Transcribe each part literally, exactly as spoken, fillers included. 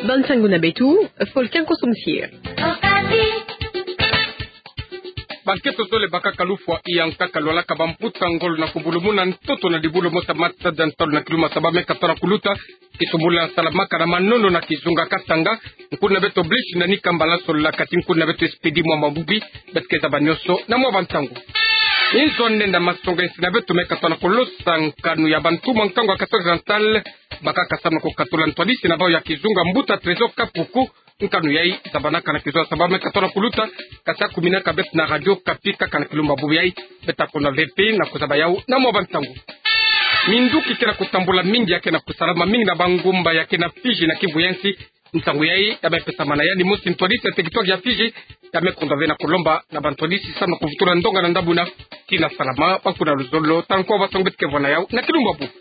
Bansangu na beto, Volcan Kosomsir. Bankento zole bakaka lufwa ya nkaka lwalaka bambuta ngolo na kubulumuna ntoto na dibulu mosi ya matada ya ntalu na kilumbu ya saba me katoto na kuluta. Kisumbula salamaka na Manono na kizunga Katanga. Nkuna beto Blaise Nani Kambala, solo la kati nkuna beto Expedit Mwamba Mubi, beto ke zaba nyonso na mwa bantangu. Inzo nenda masonga nsina beto me katoto na kolosa nkanu ya bantu mwa nkangu ya Kasaï Oriental, bakaka samu na kukatula ntwadisi na bau ya kizunga mbuta Trésor Kapuku. Nkanu yayi zabanaka na kizunga saba me katoto na kuluta, kasa kuminaka beto na Radio Okapi kaka na kilumbu ya bubu yayi. Beto ta kona ve mpe na kuzaba yau na mwa bantangu. Minduki ke na kutambula mingi ya ke na kusalama mingi na bangomba ya ke na Fidji na Kivu ya nsi. Ntangu yayi ya me pesamana yandi mosi ntwadisi ya territoire ya Fidji, ya me kondwa ve na kulomba na bantwadisi samu na kuvutula ndonga na ndambu na tina salama bankuna luzolo. Tala nkwa batangu beto ke vwa na yau na kilumbu ya bubu.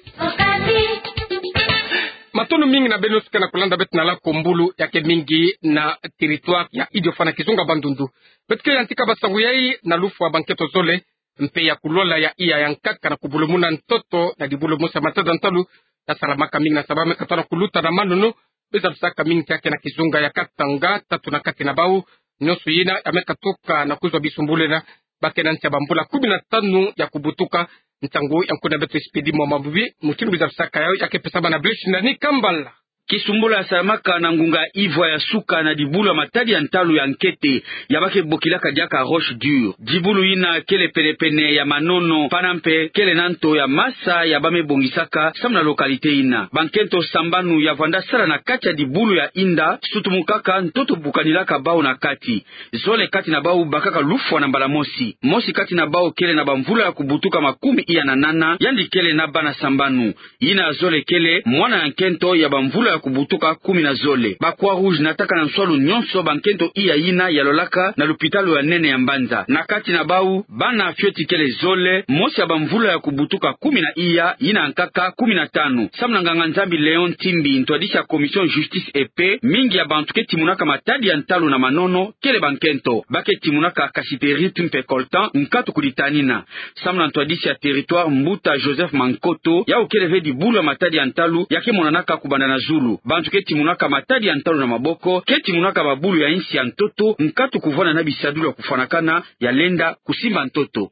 Matondo mingi na beno nyonso ke na kulanda beto na lakombulu ya ke mingi na territoire ya Idiofa na kizunga Bandundu. Beto ke yantika basangu yayi na lufwa bankento zole, mpe ya kulwala ya iya ya nkaka na kubulumuna ntoto na dibulu mosi ya matada ya ntalu, ya salamaka mingi na saba me katoto na kuluta na Manono, be zabisaka mingi ya ke na kizunga ya Katanga. Tatu na kati na bau nyonso yina ya me katuka na kuzwa bisumbulu yina, ba ke na nsi ya bambula kumi na tanu ya kubutuka. Ntangu ya nkuna beto Expedit Mwamba Mubi, mutindu be zabisaka yau ya ke pesamana na Blaise Nani Kambala. Kisumbula salamaka na ngunga ivwa ya suka na dibulu ya matadi ya ntalu ya nkete, ya ba ke bokilaka diaka Roche Dure. Dibulu yina kele penepene ya Manono, pana mpe kele na nto ya masa ya ba me bongisaka samu na localité yina. Bankento sambanu ya vwanda sala na kati ya dibulu ya inda, sutumukaka ntoto bukanilaka bau na kati. Zole kati na bau bakaka lufwa na mbala mosi. Mosi kati na bau kele na bamvula ya kubutuka makumi iya na nana, yandi kele na bana sambanu. Yina ya zole kele mwana ya nkento ya bamvula ya kubutuka kumi na zole. Ba Croix-Rouge nataka na nswalu nyonso bankento iya yina ya lwalaka na lupitalu ya nene ya Mbanza. Na kati na bau, bana fioti kele zole, mosi ya bamvula ya kubutuka kumi na iya, yina ya nkaka kumi na tanu. Samu na nganga-Nzambi Léon Timbi, ntwadisi ya Commission Justice et Paix, mingi ya bantu ke timunaka matadi ya ntalu na Manono kele bankento. Ba ke timunaka cassiterite mpe coltan, nkatu kuditanina. Samu na ntwadisi ya territoire mbuta Joseph Mankoto, yau kele ve dibulu ya matadi ya ntalu ya ke monanaka kubanda na zulu. Bantu ke timunaka matadi ya ntalu na maboko ke timunaka babulu ya insi ya ntoto, nkatu kuvwanda na bisadulu ya kufwanakana ya lenda kusimba ntoto.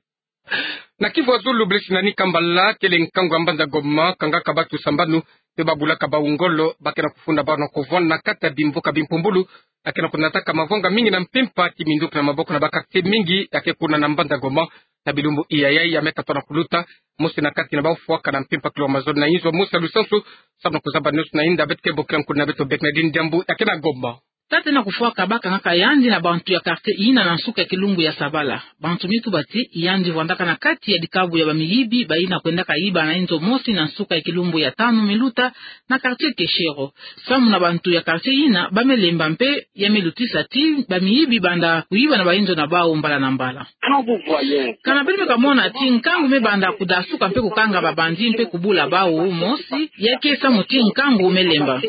Na Kivu ya zulu, Blaise Nani Kambala, kele nkangu ya mbanza Goma kangaka batu sambanu, mpe babulaka bau ngolo, ba ke na kufunda bau na kuvwanda na kati ya bimvuka bimpumbulu, ya ke na kunataka mavanga mingi na mpimpa, ki minduki na maboko na ba quartier mingi ya ke kuna na mbanza Goma. Na bilumbu iya yayi ya me katoto na kuluta, mosi na kati na bau fwaka na mpimpa kilo mazole na inzo mosi ya lusansu. Samu na kuzaba nyonso na inda, beto ke bokila nkuna beto Bernardine Diambu ya ke na Goma. Tata yina kufwaka bakangaka yandi na bantu ya quartier yina na nsuka ya kilumbu ya sabala. Bantu mi tuba ti yandi vwandaka na kati ya dikabu ya bamiyibi bayina kwendaka yiba na inzo mosi na nsuka ya kilumbu ya tanu me luta na quartier Keshero. Samu na bantu ya quartier yina, ba me lemba mpe ya me lutisa ti bamiyibi banda kuyiba na bainzo na bau mbala na mbala. Kana beno me kamona ti nkangu me banda kudasuka mpe kukanga ba bandits mpe kubula bau mosi, ya ke samu ti nkangu me lemba.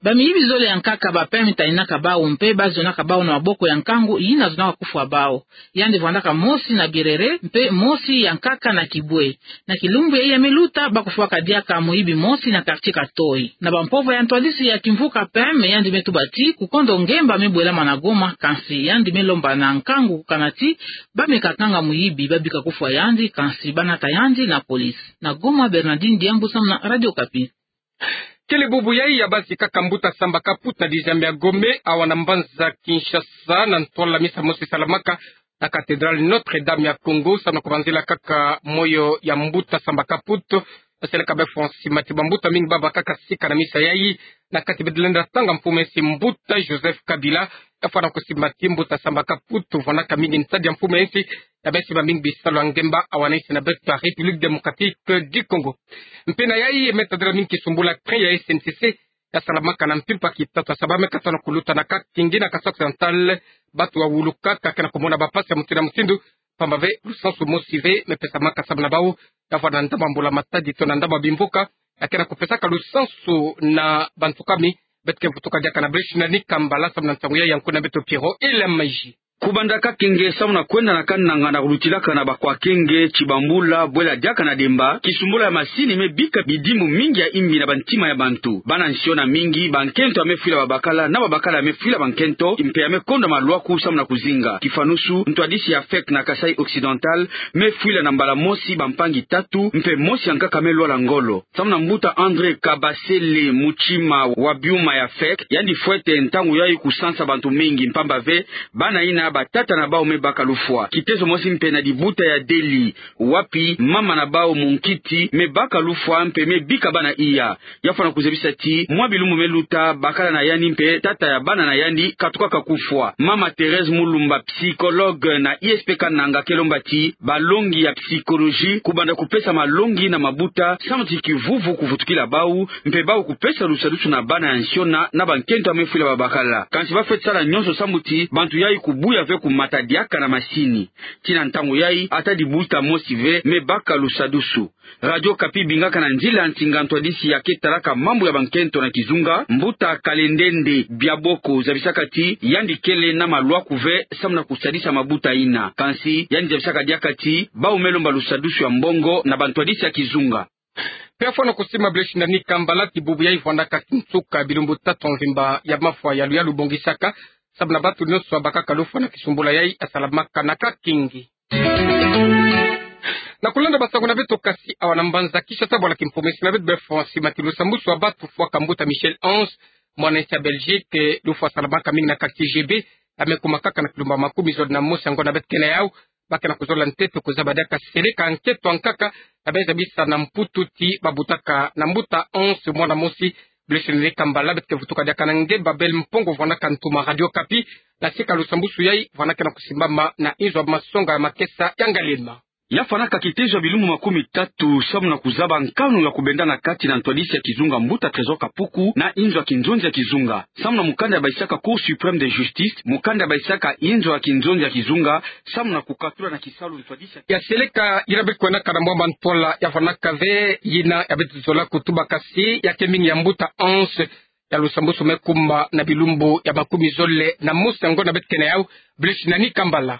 Bamiyibi zole ya nkaka ba pembe taninaka bau mpe ba zonaka bau na maboko ya nkangu yina zonaka kufwa bau. Yandi vwandaka mosi na Birere, mpe mosi ya nkaka na Kibwe. Na kilumbu yayi ya me luta, ba kufwaka diaka muyibi mosi na quartier Katoi. Na bampova ya ntwadisi ya kimvuka pembe, yandi me tuba ti kukondo ngemba me bwelama na Goma, kansi yandi me lomba na nkangu kana ti ba me kakanga muyibi, ba bika kufwa yandi, kansi ba nata yandi na police. Na Goma, Bernardine Diambu samu na Radio Okapi. Kele bubu yayi ya basi kaka mbuta Samba Kaputu na dixième ya Gome, awa na mbanza Kinshasa, na ntwala misa mosi salamaka na cathédrale Notre-Dame ya Congo, samu na kubanzila kaka moyo ya mbuta Samba Kaputu. Baseleka bafo nsimati bambuta mingi baba kaka sika na misa yayi, na kati badi lenda tanga mfumu ya nsi mbuta Joseph Kabila. Yafwana kusimati mbuta Samba Kaputu, vwanaka mingi ntadi ya mfumu ya nsi, ya basi ba mingi bisalu ya ngemba awa na nsi na beto ya République Démocratique du Congo. Mpe na yayi, me tadila mingi kisumbula train ya S N C C, ya salamaka na mpimpa kitatu ya saba me katoto na kuluta na Kakingi na Kasaï Occidental. Batu wawulukaka ke na kumona bapasi ya mutindu na mutindu, pamba ve lusansu mosi ve me pesamaka samu na bau, yafwana ndambu ya mbula matadi to na ndambu ya bimvuka, ya ke na kupesaka lusansu na bantu kumi. Beto ke vutuka diaka na Blaise Nani Kambala samu na nsangu yayi ya nkuna beto Pierrot Elemaji. Kubanda Kakenge samu na kwenda na Kananga na kulutilaka na Bakwakenge, Tshibambula, Bwela diaka na Demba, kisumbula ya masini me bika bidimbu mingi ya imbi na bantima ya bantu. Bana nsiona mingi, bankento ya me fwila babakala, na babakala ya me fwila bankento, mpe ya me konda malwaku samu na kuzinga. Kifanusu, ntwadisi ya fek na Kasaï Occidental me fwila na mbala mosi bampangi tatu, mpe mosi ya nkaka me lwala ngolo. Samu na mbuta André Kabasele Mutima wa biuma ya fek, yandi fwete ntangu yayi kusansa bantu mingi mpamba ve bana yina batata na bawu me baka lufwa. Kitezo mosi mpe na dibuta ya Delly, wapi mama na bawu munkiti me baka lufwa mpe me bika bana iya. Ya fwana kuzabisa ti mwa bilumbu me luta, bakala na yandi mpe tata ya bana na yandi katukaka kufwa. Mama Thérèse Mulumba, psychologue na I S P Kananga, ke lomba ti balongi ya psychologie kubanda kupesa malongi na mabuta samu ti kivuvu kuvutukila bawu, mpe bawu kupesa lusadusu na bana ya nsiona na bankento ya me fwila babakala. Kansi bafwete sala nyonso samu ti bantu yayi kubuya ve kumata diaka na masini. Tii na ntangu yayi, ata dibuta mosi ve me baka lusadusu. Radio Okapi bingaka na nzila nsinga ntwadisi ya ke talaka mambu ya bankento na kizunga, mbuta Kalendende Biaboko, zabisaka ti yandi kele na malwaku ve samu na kusadisa mabuta yina. Kansi yandi zabisaka diaka ti bawu me lomba lusadusu ya mbongo na bantwadisi ya kizunga. Mpe ya fwana kusimba Blaise Nani Kambala ti bubu yayi vwandaka kinsuka bilumbu tatu mvimba ya mafwa ya luyalu bongisaka samu na bantu nyonso babakaka lufwa na kisumbula yayi ya salamaka na Kakenge. Na kulanda basango na beto kasi awa na mbanza Kinshasa, bwala kimpomesi na beto be François Mati, lusambusu wa bantu fwaka mbuta Michel Ange, mwana nsi ya Belgique, lufwa salamaka mingi na quartier G B, ya me kuma kaka na kilumbu makumi zole na mosi ya ngonda beto ke na yawu. Ba ke na kuzola ntete kuzaba diaka seleka nkento ya nkaka ya me zabisa na Mputu ti ba butaka na mbuta Ange mwana mosi. Blaise Nani Kambala, beto ke vutuka diaka na nge Babel Mpongo, vwandaka ntuma Radio Okapi, na sika lusambusu yayi vwandaka na kusimbama na inzo ya masonga ya makesa ya Ngaliema. Ya fwanaka kitezo ya bilumbu makumi tatu samu na kuzaba nkanu ya kubenda na kati na ntwadisi ya kizunga mbuta Trésor Kapuku na inzo ya kinzonzi ya kizunga. Samu na mukanda ya bayisaka Cour suprême de justice, mukanda ya bayisaka inzo ya kinzonzi ya kizunga, samu na kukatula na kisalu ntwadisi ya seleka yina beto kwendaka na mwa mantwala ya fwanaka ve yina ya beto zola kutuba kasi ya ke mingi ya mbuta Ange, ya lusambusu me kuma na bilumbu ya makumi zole na mosi ya ngonda beto ke na yawu. Blaise Nani Kambala.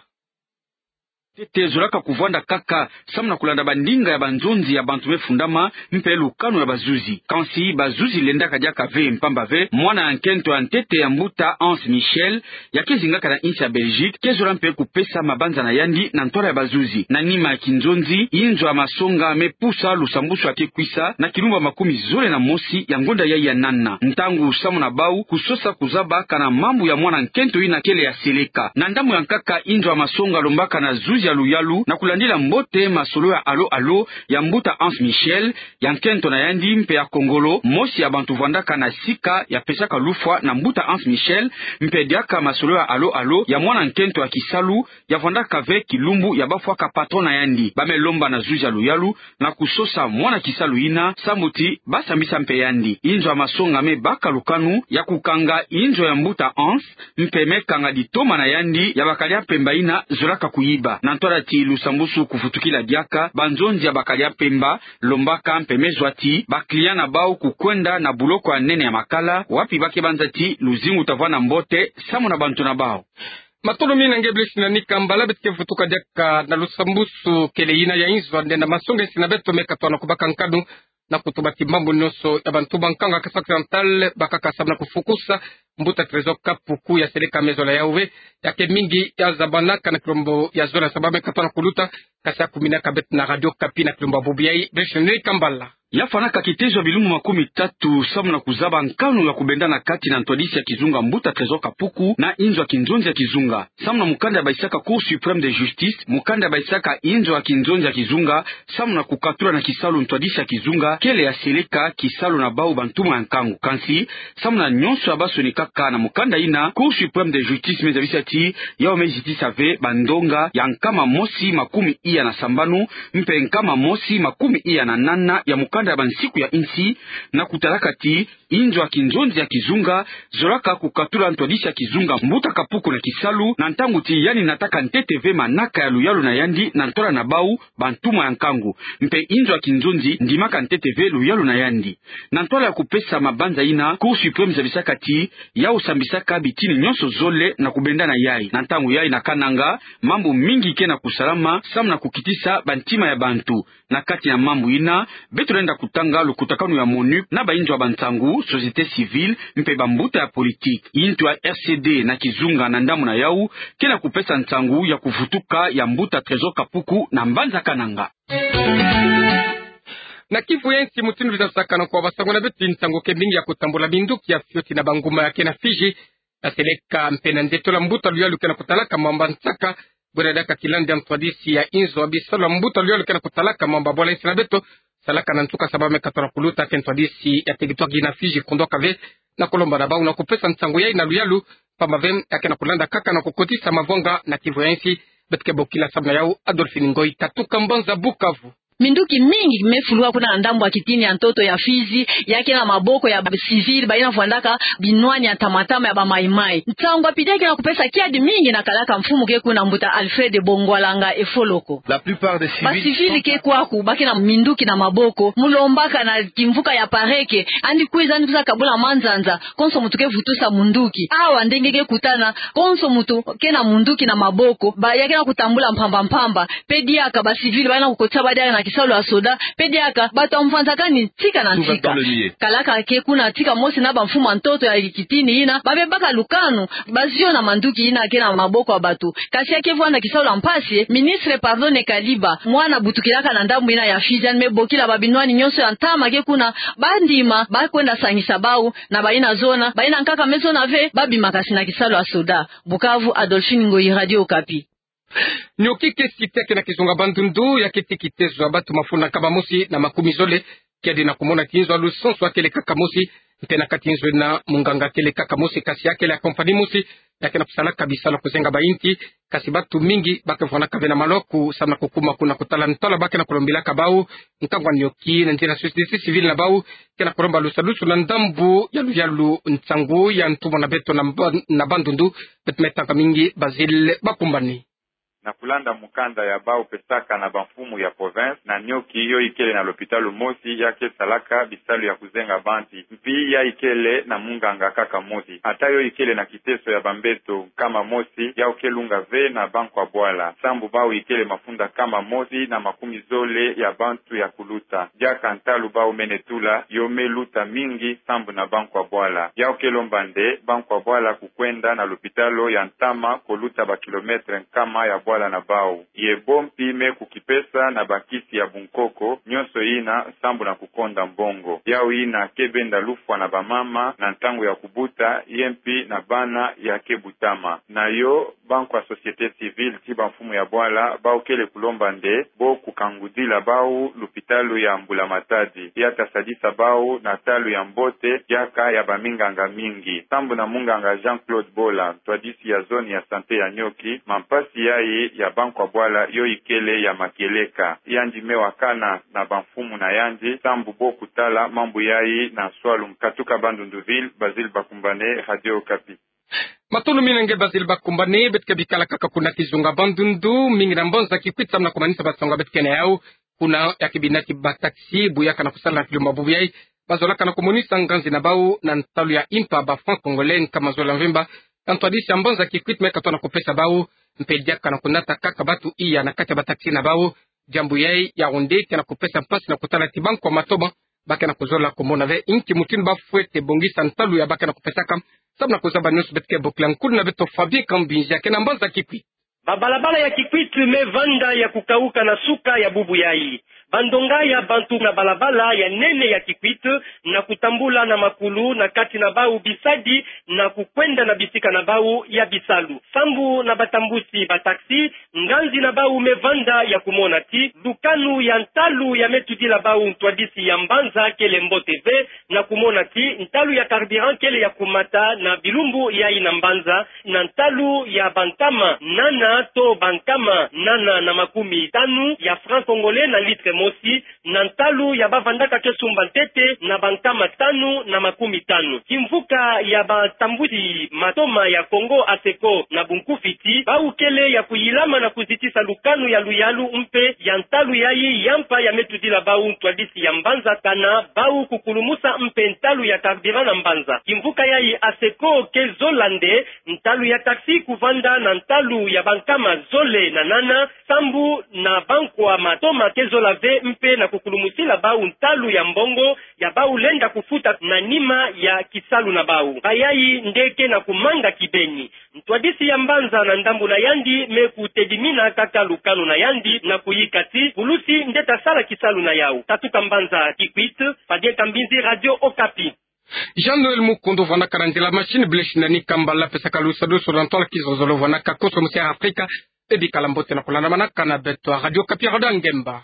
Ntete zolaka kuvwanda kaka samu na kulanda bandinga ya banzonzi ya bantu me fundama mpe lukanu ya bazuzi. Kansi bazuzi lendaka diaka ve mpamba ve mwana ya nkento ya ntete ya mbuta Ange Michel, ya ke zingaka na insi ya Belgique, ke zola mpe kupesa mabanza na yandi na ntwala ya bazuzi. Na nima ya kinzonzi, inzo ya masonga me pusa lusambusu ya ke kwisa na kilumbu makumi zole na mosi ya ngonda yayi ya nana, ntangu samu na bawu kusosa kuzaba kana mambu ya mwana nkento yina kele ya seleka. Na ndambu ya nkaka, inzo ya masonga lombaka na zuzi ya luyalu na kulandila mbote masolo ya alo-alo ya mbuta Ange Michel, ya nkento na yandi mpe ya kongolo, mosi ya bantu vwandaka na sika ya pesaka lufwa na mbuta Ange Michel, mpe diaka masolo ya alo-alo ya mwana nkento ya kisalu ya vwandaka ve kilumbu ya bafwaka patron na yandi. Ba me lomba na zuzi ya luyalu na kusosa mwana kisalu yina samu ti ba sambisa mpe yandi. Inzo ya masonga me baka lukanu ya kukanga inzo ya mbuta Ange, mpe me kanga ditoma na yandi ya bakadi ya mpemba yina zolaka kuyiba. Na ntwala ti lusambusu kuvutukila diaka, banzonzi ya bakadi ya mpemba lombaka mpe me zwa ti ba client na bawu kukwenda na buloko ya nene ya Makala, wapi ba ke banza ti luzingu ta vwanda mbote samu na bantu na bawu. Matondo mingi na nge Blaise Nani Kambala. Beto ke vutuka diaka na lusambusu kele yina ya inzo ya ndenda masonga esi na beto me katono kubaka nkanu na kutuba ti mambu nyonso ya bantu ba nkangu ya Kasaï Occidental bakaka samu na kufukusa mbuta Trésor Kapuku ya seleka me zola yawu ve, ya ke mingi ya zabanaka na kilombo ya zola saba me katono kuluta, kasi ya kuminaka beto na Radio Okapi na kilombo ya bubu yayi. Blaise Nani Kambala. Ya fwanaka kitezo ya bilumbu makumi tatu samu na kuzaba nkanu ya kubenda na kati na ntwadisi ya kizunga mbuta Trésor Kapuku na inzo ya kinzonzi ya kizunga. Samu na mukanda ya bayisaka Cour suprême de justice, mukanda ya bayisaka inzo ya kinzonzi ya kizunga, samu na kukatula na kisalu ntwadisi ya kizunga kele ya seleka kisalu na bawu bantumwa ya nkangu. Kansi samu na nyonso ya ba sonikaka na mukanda yina, Cour suprême de justice me zabisa ti yawu me zitisa ve bandonga ya nkama mosi makumi iya na sambanu mpe nkama mosi makumi iya na nana ya mukanda kanda ya bansiku ya insi, na kutalaka ti inzo ya kinzonzi ya kizunga zolaka kukatula ntwadisi ya kizunga mbuta kapuku na kisalu, na ntangu ti yandi nataka ntete ve manaka ya luyalu na yandi na ntwala na bau bantumwa ya nkangu. Mpe inzo ya kinzonzi ndimaka ntete ve luyalu na yandi. Na ntwala ya kupesa mabanza ina, Cour suprême zabisaka ti yau sambisaka bitini nyonso zole na kubenda na yai. Na ntangu yai na Kananga, mambu mingi ke na kusalama, samu na kukitisa bantima ya bantu. Na kati ya mambu ina, beto lenda kutanga lukutakanu ya MONUC na bainzo ya bansangu, société civile, mpe bambuta ya politique. Intu ya R C D na kizunga na ndambu na yau ke na kupesa nsangu ya kuvutuka ya mbuta Trésor Kapuku na mbanza Kananga. Na Kivu ya Nsi, mutindu bina sakana kwa basango na beto, nsangu ke mingi ya kutambula minduki ya fioti na banguma ya ke na Fidji, ya seleka mpe na nde tola mbuta luyalu ke na kutalaka mamba nsaka, bwena diaka Kilande ya ntwadisi ya inzo ya bisalu ya mbuta luyalu ke na kutalaka mamba bwala insi na beto, salaka na nsuka sababu me katona kuluta ke ntwadisi ya teritware na Fidji kondoka ve, na kulomba na bau na kupesa nsangu yai na luyalu, pamba ve ya ke na kulanda kaka na kukotisa mavwanga na Kivu ya Nsi. Beto ke bokila samu na yau Adolphine Ngoyi Katuka, mbanza Bukavu. Minduki mingi me fuluka kuna na ndambu ya kitini ya ntoto ya Fidji, ya ke na maboko ya ba civil, bayina vwandaka binwani ya ntamatama ya ba Mai Mai. Nsangu ya pide ke na kupesa kiadi mingi na kalaka mfumu ke kuna, mbuta Alfred Bongwalanga Efoloko. La plupart des civils, ba civil ke kwaku, ba ke na minduki na maboko, mu lombaka na kimvuka ya pareke, yandi kwiza, yandi kwiza kabula manzanza, konso muntu ke vutusa munduki. Awa nde nge ke kutana, konso muntu ke na munduki na maboko, ba ya ke na kutambula mpamba mpamba. Pe diaka ba civil bayina kukotisa badiaka na kisalu ya soda, pe diaka bato ya mvanzakani tika na tika. Kalaka ke kuna tika mosi na bamfumu ya ntoto ya kitini yina, ba bebaka lukanu, baziona manduki yina ke na maboko ya bato. Kasi ya ke vwanda kisalu ya mpasi. Ministre Pardonne Kaliba, mwana butukilaka na ndambu yina ya Fidji, yandi me bokila babinwani nyonso ya ntama ke kuna, bandima, ba kwenda sangisa bau, na bayina zona, bayina nkaka me zona ve, ba bima kasi na kisalu ya soda. Bukavu, Adolphine Ngoyi, Radio Okapi. Nioki ke site ya ke na kizunga Bandundu, ya ke ti kitezo ya bato mafunda nkama mosi na makumi zole, kiadi na kumona ti nzo ya lusansu ya kele kaka mosi, mpe na kati nzo yina munganga kele kaka mosi, kasi ya kele ya compagnie mosi, ya ke na kusalaka bisalu ya kuzenga bainti, kasi bato mingi ba ke vwandaka ve na maloko, samu na kukuma kuna kutala ntwala ba ke na kulombilaka bau, nkangu ya nioki, na nzila société civile na bau ke na kulomba lusadusu na ndambu ya luyalu. Nsangu ya ntumwa na beto na Mba-, na Bandundu, beto me tanga mingi Basile Bakumbani. Na kulanda mukanda ya bau pesaka na bamfumu ya province, na nioki yo ikele na lopitalo mosi ya ke salaka bisalu ya kuzenga banti, mpi ya ikele na munganga kaka mosi. Ata yo ikele na kiteso ya bambeto nkama mosi, yau ke lunga ve na bankwa bwala, sambu bau ikele mafunda nkama mosi na makumi zole ya bantu ya kuluta. Diaka ntalu bau mene tula, yo me luta mingi sambu na bankwa bwala. Yau ke lomba nde bankwa bwala kukwenda na lopitalo ya ntama, koluta ba kilomètre nkama ya bwala na bau. Ye bo mpi me kukipesa na bakisi ya bunkoko, nyonso yina sambu na kukonda mbongo. Yau yina ke benda lufwa na bamama na ntangu ya kubuta, ye mpi na bana ya ke butama. Na yo, bankwa société civile ti bamfumu ya bwala, bau kele kulomba nde bo kukangudila bau lopitalo ya Mbula Matadi, ya ta sadisa bau na ntalu ya mbote, diaka ya baminganga mingi. Sambu na munganga Jean-Claude Bola, ntwadisi ya zone ya santé ya nioki, mampasi yayi ya bankwa bwala yo ikele ya makieleka. Yandi me wakana na bamfumu na yandi, sambu bo kutala mambu yayi na nswalu. Katuka Bandundu ville, Basile Bakumbani, Radio Okapi. Matondo mingi na nge Basile Bakumbani. Beto ke bikala kaka kuna kizunga Bandundu, mingi na mbanza Kikwit, samu na kumanisa basango beto ke na yau. Kuna ya ke binati ba taxi, bu yaka na kusala na kilumbu bubu yayi, bazolaka na kumonisa nganzi na bau na ntalu ya impa ba francs congolais nkama zole ya mvimba. Ntwadisi ya mbanza Kikwit me katona kupesa bau, mpe diaka na kunata kaka bato iya na kati ya ba taxi na bau. Diambu yayi ya onde ke na kupesa mpasi na kutala ti bankwa matoma ba ke na kuzola kumona ve inki mutindu ba fwete bongisa ntalu ya ba ke na kupesaka, samu na kuzaba nyonso. Beto ke bokila nkulu na beto Fabien Kambinzi, ya ke na mbanza Kikwit. Babalabala ya Kikwit me vanda ya kukauka na suka ya bubu yayi. Bandonga ya bantu na balabala ya nene ya Kikwit na kutambula na makulu na kati na bau bisadi na kukwenda na bisika na bau ya bisalu. Sambu na batambusi ba taxi, nganzi na bau me vanda ya kumona ti lukanu ya ntalu ya me tudila bau ntwadisi ya mbanza kele mbote ve, na kumona ti ntalu ya carburant kele ya kumata na bilumbu yayi na mbanza na ntalu ya bankama nana to bankama nana na makumi tanu ya francs congolais na litre mosi na ntalu ya bavandaka ke sumba ntete na bankama tanu na makumi tanu. Kimvuka ya batambwisi matoma ya Congo, ASECO, na bunkufi ti bau kele ya kuyilama na kuzitisa lukanu ya luyalu mpe ya ntalu yayi ya mpa ya me tudila bau ntwadisi ya mbanza, kana bau kukulumusa mpe ntalu ya carburant na mbanza. Kimvuka yayi ASECO ke zola nde ntalu ya taxi kuvanda na ntalu ya bankama zole na nana, sambu na bankwa matoma ke zola ve mpe na kukulumusila bau ntalu ya mbongo ya bau lenda kufuta na nima ya kisalu na bau. Bayayi nde ke na kumanga kibeni. Ntwadisi ya mbanza na ndambu na yandi me kutedimina kaka lukanu na yandi na kuyika ti pulusi nde ta sala kisalu na yau. Tatuka Mbanza Kikwit, Fabien Kambinzi, Radio Okapi. Jean-Noël Mukundu vwanaka na nzila machine, bless nani kamba la pesaka lusadusu na ntwala kizozolo vwanaka konso musi ya Afrika. Ebi kala mbote na kulandamanaka na beto a Radio Okapi, Roda Ngemba.